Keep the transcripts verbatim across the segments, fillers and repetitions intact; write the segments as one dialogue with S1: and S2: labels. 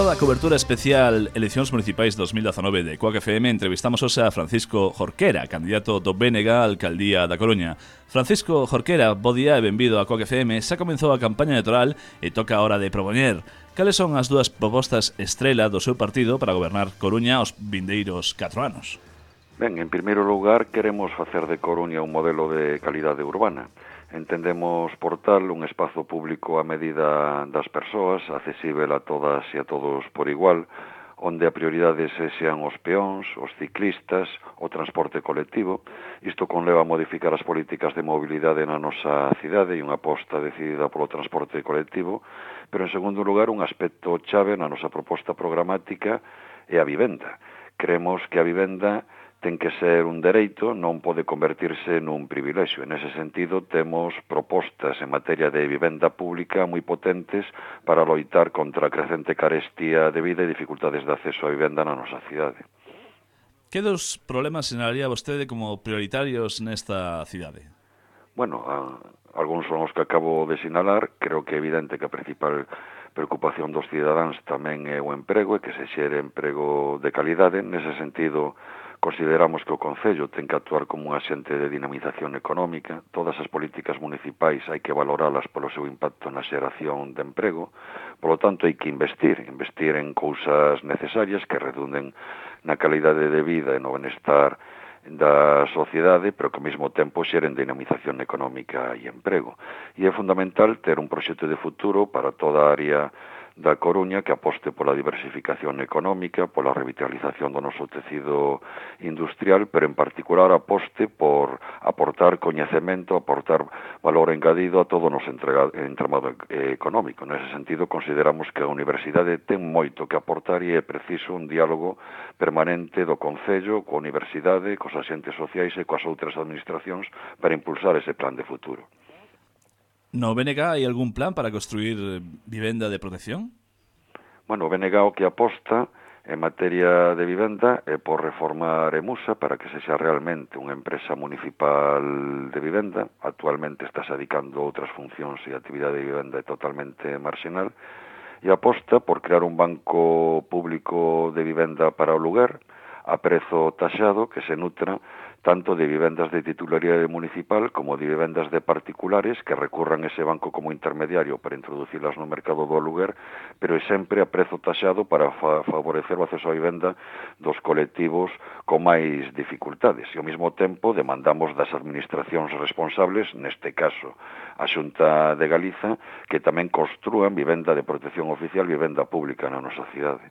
S1: da cobertura especial Eleccións Municipais dos mil dezanove de Coac F M entrevistamos hoxe a Francisco Jorquera, candidato do B N G á Alcaldía da Coruña. Francisco Jorquera, bo día e benvido a Coac F M. Xa comenzou a campaña electoral e toca a hora de propoñer. Cales son as dúas propostas estrela do seu partido para gobernar Coruña os vindeiros catro anos?
S2: Ben, en primeiro lugar, queremos facer de Coruña un modelo de calidade urbana. Entendemos por tal un espazo público a medida das persoas, accesível a todas e a todos por igual, onde a prioridade sexan os peóns, os ciclistas, o transporte colectivo. Isto conleva a modificar as políticas de mobilidade na nosa cidade e unha aposta decidida polo transporte colectivo, pero en segundo lugar un aspecto chave na nosa proposta programática é a vivenda. Creemos que a vivenda ten que ser un dereito, non pode convertirse nun privilexio. En ese sentido, temos propostas en materia de vivenda pública moi potentes para loitar contra a crecente carestía de vida e dificultades de acceso á vivenda na nosa cidade.
S1: Que dos problemas sinalaría vostede como prioritarios nesta cidade?
S2: Bueno, a, algúns son os que acabo de sinalar. Creo que é evidente que a principal preocupación dos cidadáns tamén é o emprego e que se xere emprego de calidade. Nese sentido, consideramos que o Concello ten que actuar como un axente de dinamización económica. Todas as políticas municipais hai que valoralas polo seu impacto na xeración de emprego. Polo tanto, hai que investir, investir en cousas necesarias que redunden na calidade de vida e no benestar da sociedade, pero que ao mesmo tempo xeren dinamización económica e emprego. E é fundamental ter un proxecto de futuro para toda a área da Coruña que aposte pola diversificación económica, pola revitalización do noso tecido industrial, pero en particular aposte por aportar coñecemento, aportar valor engadido a todo o noso entramado económico. Nese sentido, consideramos que a universidade ten moito que aportar e é preciso un diálogo permanente do Concello, coa universidade, cos axentes sociais e coas outras administracións para impulsar ese plan de futuro.
S1: No B N G hai algún plan para construir vivenda de protección?
S2: Bueno, o B N G o que aposta en materia de vivenda é por reformar Emusa para que sexa realmente unha empresa municipal de vivenda. Actualmente está se dedicando a outras funcións e a actividade de vivenda é totalmente marginal. E aposta por crear un banco público de vivenda para o lugar a prezo taxado que se nutra tanto de vivendas de titularidade municipal como de vivendas de particulares que recurran ese banco como intermediario para introducilas no mercado do aluguer, pero é sempre a prezo taxado para fa favorecer o acceso á vivenda dos colectivos con máis dificultades. E ao mesmo tempo demandamos das administracións responsables, neste caso a Xunta de Galiza, que tamén construan vivenda de protección oficial, vivenda pública na nosa cidade.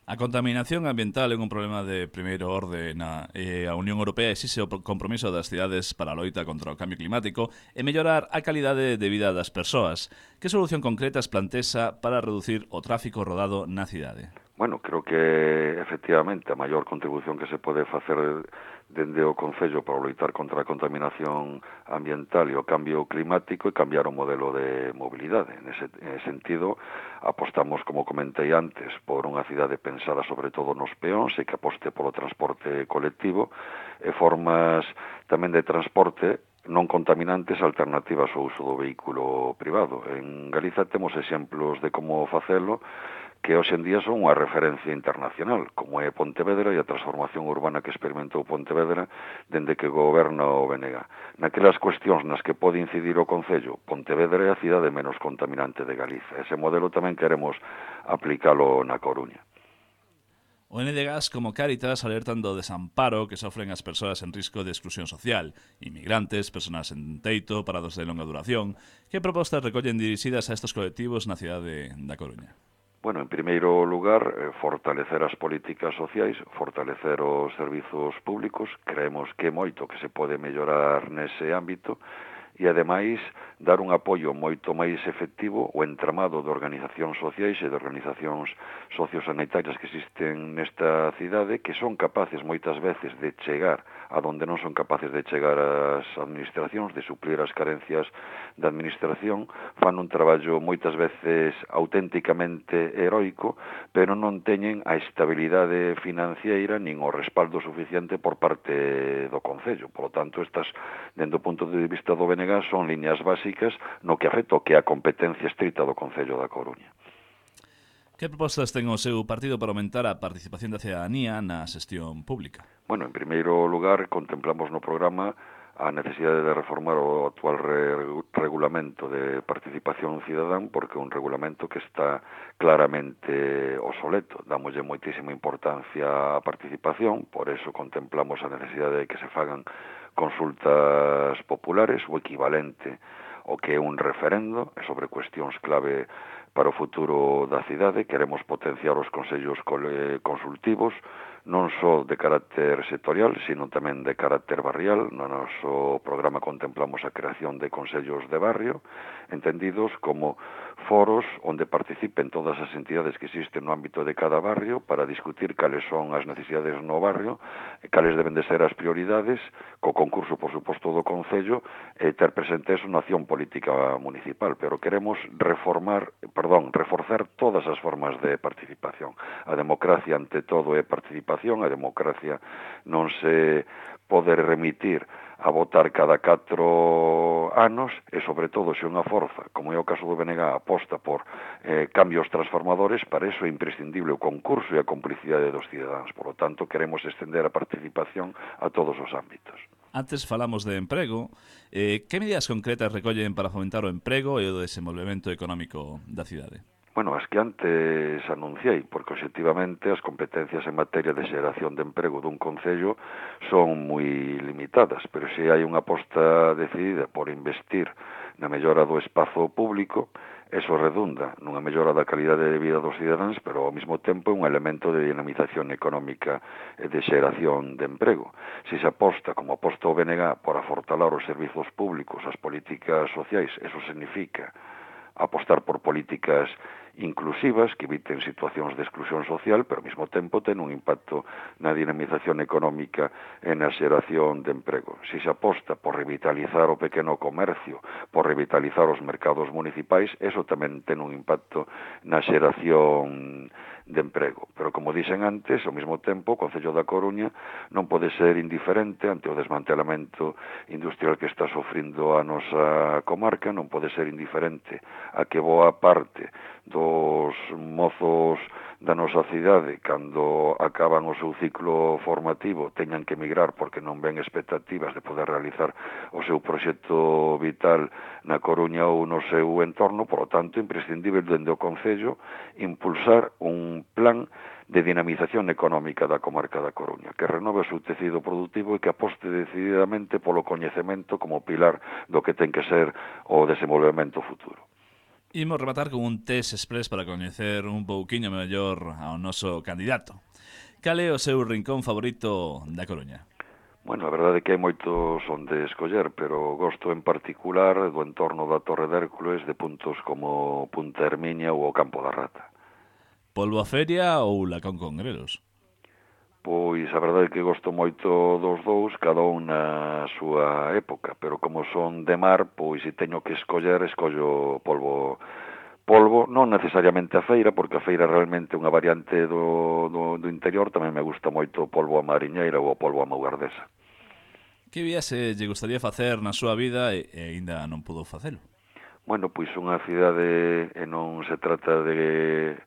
S1: A contaminación ambiental é un problema de primeiro orde na e a Unión Europea exixe o compromiso das cidades para a loita contra o cambio climático e mellorar a calidade de vida das persoas. Que solución concretas plantexa para reducir o tráfico rodado na cidade?
S2: Bueno, creo que efectivamente a maior contribución que se pode facer dende o Concello para loitar contra a contaminación ambiental e o cambio climático e cambiar o modelo de mobilidade. Nese sentido, apostamos, como comentei antes, por unha cidade pensada sobre todo nos peóns e que aposte polo transporte colectivo e formas tamén de transporte non contaminantes alternativas ao uso do vehículo privado. En Galiza temos exemplos de como facelo que hoxe en día son unha referencia internacional, como é Pontevedra e a transformación urbana que experimentou Pontevedra dende que goberna o B N G. Naquelas cuestións nas que pode incidir o Concello, Pontevedra é a cidade menos contaminante de Galiza. Ese modelo tamén queremos aplicalo na Coruña.
S1: O N D G A S como Cáritas alertan do desamparo que sofren as persoas en risco de exclusión social, inmigrantes, persoas en teito, parados de longa duración. Que propostas recollen dirixidas a estes colectivos na cidade da Coruña?
S2: Bueno, en primeiro lugar, eh, fortalecer as políticas sociais, fortalecer os servizos públicos. Creemos que é moito que se pode mellorar nese ámbito e, ademais, dar un apoio moito máis efectivo ao entramado de organizacións sociais e de organizacións sociosanitarias que existen nesta cidade, que son capaces moitas veces de chegar a donde non son capaces de chegar as administracións, de suplir as carencias da administración, fan un traballo moitas veces auténticamente heroico, pero non teñen a estabilidade financiera nin o respaldo suficiente por parte do Concello. Por lo tanto, estas, dentro do punto de vista do B N G, son liñas básicas no que afecta o que é a competencia estrita do Concello da Coruña.
S1: Que propostas ten o seu partido para aumentar a participación da cidadanía na xestión pública?
S2: Bueno, en primeiro lugar, contemplamos no programa a necesidade de reformar o actual re regulamento de participación cidadán, porque é un regulamento que está claramente obsoleto. Damoslle moitísima importancia á participación, por eso contemplamos a necesidade de que se fagan consultas populares, o equivalente ao que é un referendo, sobre cuestións clave para o futuro da cidade. Queremos potenciar os consellos consultivos, non só de carácter sectorial, sino tamén de carácter barrial. No noso programa contemplamos a creación de consellos de barrio, entendidos como foros onde participen todas as entidades que existen no ámbito de cada barrio para discutir cales son as necesidades no barrio, cales deben de ser as prioridades, co concurso, por suposto, do Concello, e ter presente eso na acción política municipal. Pero queremos reformar, perdón, reforzar todas as formas de participación. A democracia, ante todo, é participación. A democracia non se pode remitir a votar cada catro anos, e, sobre todo, se unha forza, como é o caso do B N G, aposta por eh, cambios transformadores, para eso é imprescindible o concurso e a complicidade dos cidadáns. Por lo tanto, queremos extender a participación a todos os ámbitos.
S1: Antes falamos de emprego. Eh, que medidas concretas recollen para fomentar o emprego e o desenvolvemento económico da cidade?
S2: Bueno, as que antes anunciei, porque obxectivamente as competencias en materia de xeración de emprego dun concello son moi limitadas, pero se hai unha aposta decidida por investir na mellora do espazo público, eso redunda nunha mellora da calidade de vida dos cidadáns, pero ao mesmo tempo é un elemento de dinamización económica e de xeración de emprego. Se se aposta, como aposta o B N G, por afortalar os servizos públicos, as políticas sociais, eso significa apostar por políticas inclusivas que eviten situacións de exclusión social, pero ao mesmo tempo ten un impacto na dinamización económica e na xeración de emprego. Se se aposta por revitalizar o pequeno comercio, por revitalizar os mercados municipais, eso tamén ten un impacto na xeración de emprego. Pero, como dixen antes, ao mesmo tempo, o Concello da Coruña non pode ser indiferente ante o desmantelamento industrial que está sofrindo a nosa comarca, non pode ser indiferente a que boa parte dos mozos da nosa cidade, cando acaban o seu ciclo formativo, teñan que emigrar porque non ven expectativas de poder realizar o seu proxecto vital na Coruña ou no seu entorno. Por lo tanto, imprescindible dende o Concello impulsar un plan de dinamización económica da comarca da Coruña, que renove o seu tecido productivo e que aposte decididamente polo coñecemento como pilar do que ten que ser o desenvolvemento futuro.
S1: Imos rematar con un test express para coñecer un pouquiño mellor ao noso candidato. Cal é o seu rincón favorito da Coruña?
S2: Bueno, a verdade é que hai moitos onde escoller, pero gosto en particular do entorno da Torre de Hércules, de puntos como Punta Herminia ou o Campo da Rata.
S1: Polvo a Feria ou Lacón Congrelos?
S2: Pois a verdade é que gosto moito dos dous, cada un na súa época, pero como son de mar, pois se teño que escoller, escollo polvo, polvo, non necesariamente a feira, porque a feira realmente é unha variante do, do, do interior. Tamén me gusta moito o polvo a mariñeira ou o polvo a maugardesa.
S1: Que viaxe lle gustaría facer na súa vida e, e aínda non pudo facelo?
S2: Bueno, pois unha cidade, e non se trata de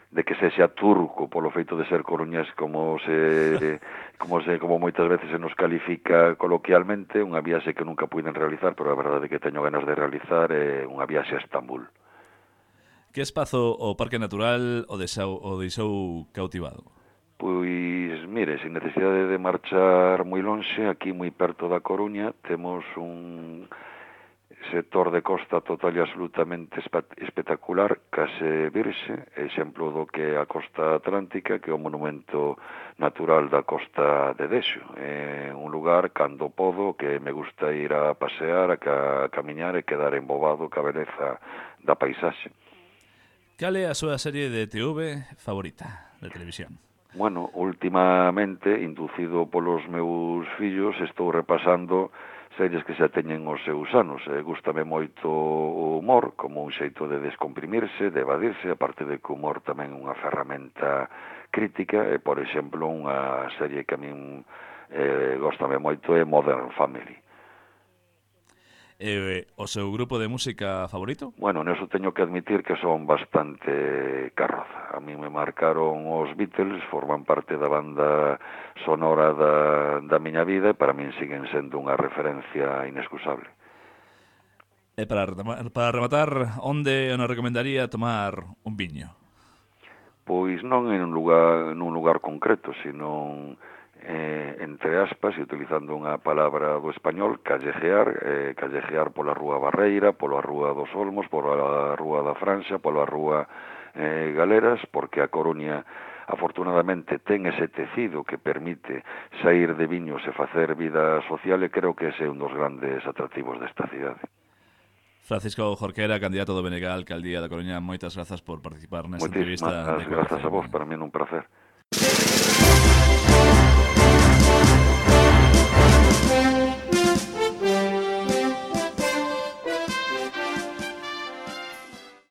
S2: de que sexa turco polo feito de ser coruñés, como se como se como moitas veces se nos califica coloquialmente, unha viaxe que nunca puiden realizar, pero a verdade é que teño ganas de realizar é unha viaxe a Estambul.
S1: Que espazo o Parque Natural o deixou, o deixou cautivado?
S2: Pois, mire, sin necesidade de marchar moi lonxe, aquí moi perto da Coruña, temos un sector de costa total e absolutamente espectacular, case virxe, exemplo do que é a costa atlántica, que é o monumento natural da costa de Dexo. É un lugar, cando podo, que me gusta ir a pasear, a, ca, a camiñar e quedar embobado ca beleza da paisaxe.
S1: Cal é a súa serie de T V favorita de televisión?
S2: Bueno, últimamente, inducido polos meus fillos, estou repasando series que xa teñen os seus anos. Eh, gústame moito o humor, como un xeito de descomprimirse, de evadirse, aparte de que o humor tamén é unha ferramenta crítica, e, por exemplo, unha serie que a min eh, gústame moito é Modern Family.
S1: E o seu grupo de música favorito?
S2: Bueno, neso teño que admitir que son bastante carroza. A mí me marcaron os Beatles, forman parte da banda sonora da, da miña vida e para min siguen sendo unha referencia inexcusable.
S1: E para rematar, para rematar, onde nos recomendaría tomar un viño?
S2: Pois non en un lugar, nun lugar concreto, sino eh, entre aspas, e utilizando unha palabra do español, callejear, eh, callejear pola Rúa Barreira, pola Rúa dos Olmos, pola Rúa da Franxa, pola Rúa eh, Galeras, porque a Coruña afortunadamente ten ese tecido que permite sair de viños e facer vida social, e creo que ese é un dos grandes atractivos desta cidade.
S1: Francisco Jorquera, candidato do B N G á Alcaldía da Coruña, moitas grazas por participar nesta
S2: Moitísimas
S1: entrevista de
S2: grazas a vos,
S1: Coac F M.
S2: para mí é un placer.